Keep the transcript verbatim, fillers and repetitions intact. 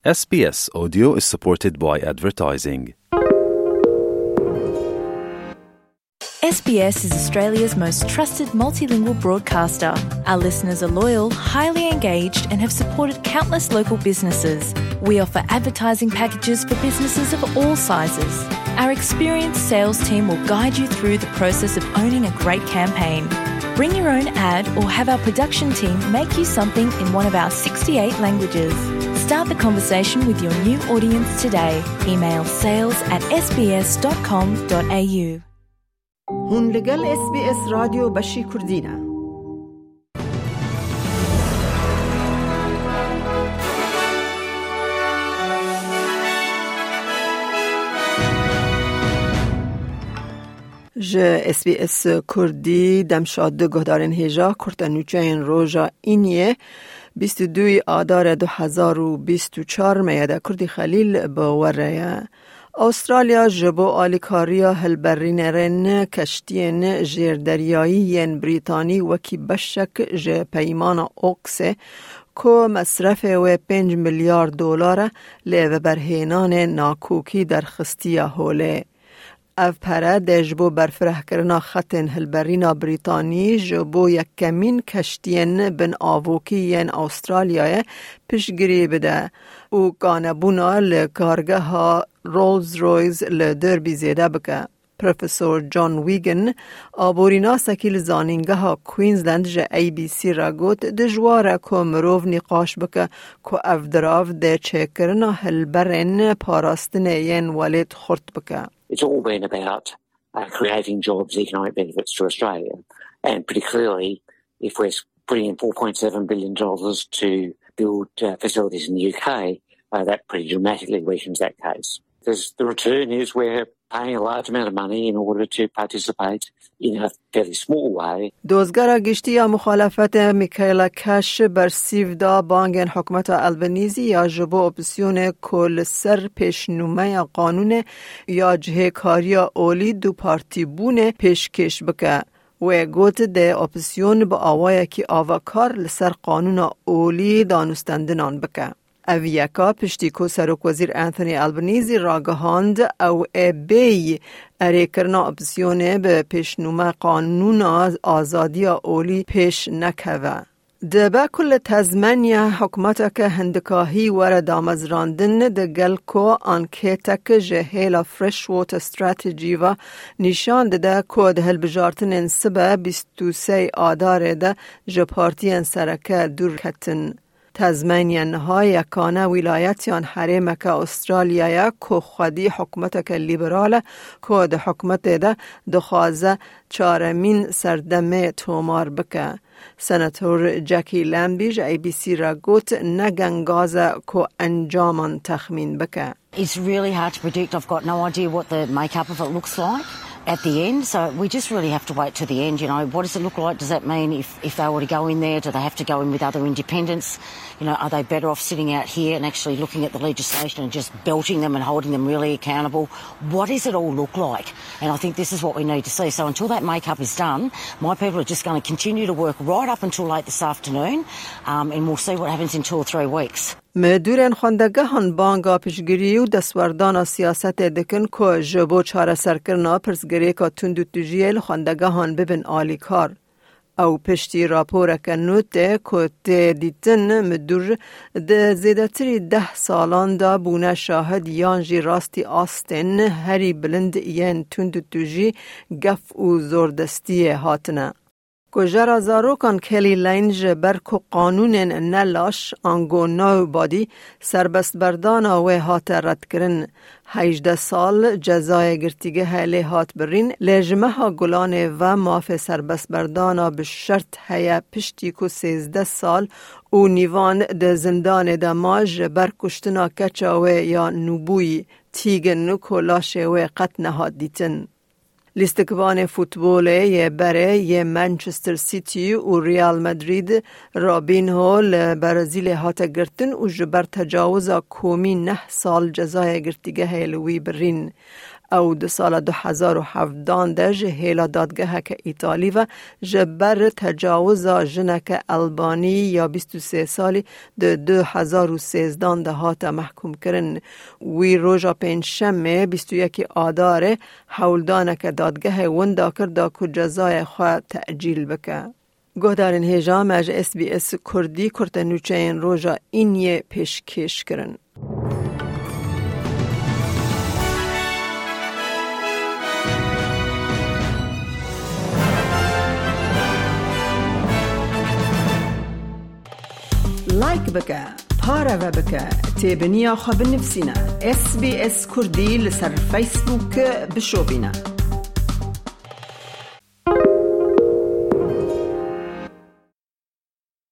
S B S Audio is supported by advertising. S B S is Australia's most trusted multilingual broadcaster. Our listeners are loyal, highly engaged, and have supported countless local businesses. We offer advertising packages for businesses of all sizes. Our experienced sales team will guide you through the process of owning a great campaign. Bring your own ad or have our production team make you something in one of our sixty-eight languages. Start the conversation with your new audience today. Email sales at S B S dot com dot A U. Hûn li gel S B S Radyo Beşî Kurdî ne. Ji S B S Kurdî, demşad guhdarên hêja, kurte nûçeyên roja Îniyê, bîst û duyê Adare du hezar û bîst û çar, Meyede Kurdî Xelîl bi we re ye. Astralya ji bo alîkariya hilberînerên keştiyên jêrderyayî yên Brîtanî wekî beşek ji peymana Oksê, ku mesrefê wê pênc milyar dolar e, li veberhênanê nakokî derxistiye holê. Ev pere dê ji bo berfirehkirina xetên hilberîna Brîtanî ji bo yekemîn keştiyên bin avokî yên Astralyayê piştgirî bide û kanebûna li kargeha Rolls-Royce li Derby zêde bike. Profesor John Wigan, aborînasekî li Zanîngeha Queensland, ji A B C re got, dijwar e ku mirov nîqaş bike ku ev dirav dê çêkirina hilberên parastinê yên welêt xurt bike. It's all been about, uh, creating jobs, economic benefits to Australia. And pretty clearly, if we're putting in four point seven billion dollars to build, uh, facilities in the U K, uh, that pretty dramatically weakens that case. There's, the return is we're paying a large amount of money in order to participate in a fairly small way. Dozgera Giştî ya Muxalefetê Michaela Cash bersîv da bangên hikûmeta Albanese ya ji bo opsiyonê ku li ser pêşnûmeya qanûnê ya cihêkariya olî dupartîbûnê pêşkêş bike. Wê got, dê opsyon bi awayekî avakar li ser qanûna olî danûstendinan bike. Ev yeka piştî ku Serokwezîr Anthony Albanese ragihand, ew ê bêyî erêkirina opsiyonê bi pêşnûme qanûna azadiya olî pêş nekeve. Dibe ku li Tasmanya hikûmeteke hindikahî were damezrandin, digel ku ankêtek ji hêla Freshwater Strategy ve nîşan dide ku di hilbijartinên sibe bîst û sê Adarê de ji partiyên sereke dûr ketin. Tasmanya niha yekane wîlayetiyan herêmeke Astralya ye ku xwedî hikûmeteke lîberal e ku di hikûmetê de dixwaze çaremîn serdemê tomar bike. Senator Jackie Lambie ji A B C re got, ne gengaz e ku encaman texmîn bike. It's really hard to predict. I've got no idea what the makeup of it looks like at the end. So we just really have to wait to the end. You know, what does it look like? Does that mean if, if they were to go in there, do they have to go in with other independents? You know, are they better off sitting out here and actually looking at the legislation and just belting them and holding them really accountable? What does it all look like? And I think this is what we need to see. So until that makeup is done, my people are just gonna continue to work right up until late this afternoon, um, and we'll see what happens in two or three weeks. Midûrên xwendegehan banga piştgirî û destwerdana siyasetê dikin ku ji bo çareserkirina pirsgirêka tund û tijiyê li xwendegehan bibin alîkar. Ew piştî raporeke nû tê ku tê dîtin, midûr di zêdetirî deh salan de bûne şahid yan jî rastî astên herî bilind yên tund û tijî, gef û zordestiyê hatine. Kujera zarokan Kelly Lane ji ber ku qanûnên ne laş, ango nobody, serbestberdana wê hate redkirin. Hejdeh sal cezayê girtîgehê lê hat birîn, lê ji meha Gulanê ve mafê serbestberdana bi şert heye, piştî ku sêzdeh sal û nîvan di zindanê de ma, ji ber kuştina keça wê ya nûbûyî, tîgin ku laşê wê qet nehat dîtin. Lîstikvanê futbolê yê berê yê Manchester City û Real Madrid, Robinho, li Brezîlê hate girtin û ji ber tecawiza komî neh sal cezayê girtîgehê li wî birîn. Ew di sala du hezar û hevdan de ji hêla dadgeheke Îtalî ve ji ber tecawiza jineke Elbanî ya bîst û sê salî di du hezar û sêzdan de hate mehkûmkirin. Wî roja Pêncşemê bîst û yekê Adarê hewldaneke dadgehê winda kir da ku cezayê xwe tecîl bike. Guhdarên hêja me ji S B S Kurdî kurte nûçeyên roja Îniyê pêşkêş kirin. Like bike, pareve bike, têbiniya xwe binivîsîne. S B S Kurdî li ser Facebook bişopîne.